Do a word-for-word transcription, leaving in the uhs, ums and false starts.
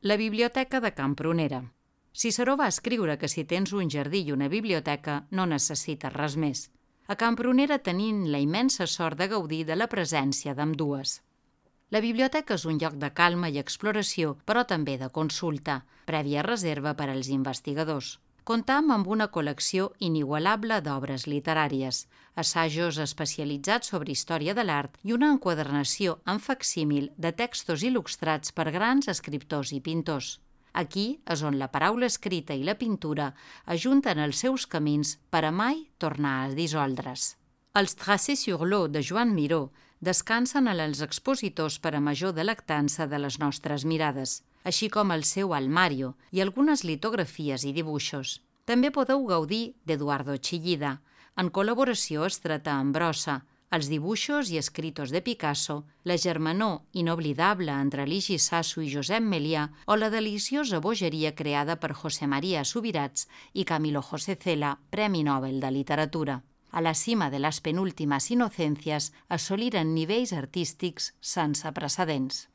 La biblioteca de Can Prunera. Ciceró va escriure que si tens un jardí i una biblioteca no necessites res més. A Can Prunera tenim la immensa sort de gaudir de la presència d'ambdues. La biblioteca és un lloc de calma i exploració, però també de consulta, prèvia reserva per als investigadors. Comptam amb una col·lecció inigualable d'obres literàries, assajos especialitzats sobre història de l'art i una enquadernació en facsímil de textos il·lustrats per grans escriptors i pintors. Aquí és on la paraula escrita i la pintura ajunten els seus camins per a mai tornar a dissoldre's. Els Tracés sur l'eau de Joan Miró descansen en els expositors per a major delectança de les nostres mirades, així com el seu Almario i algunes litografies i dibuixos. També podeu gaudir d'Eduardo Chillida, en col·laboració estreta amb Brossa, els dibuixos i escritos de Picasso, la germanor inoblidable entre Ligi Sasso i Josep Melià o la deliciosa bogeria creada per José María Subirats i Camilo José Cela, Premi Nobel de Literatura. A la cima de les penúltimes inocencias assoliren nivells artístics sense precedents.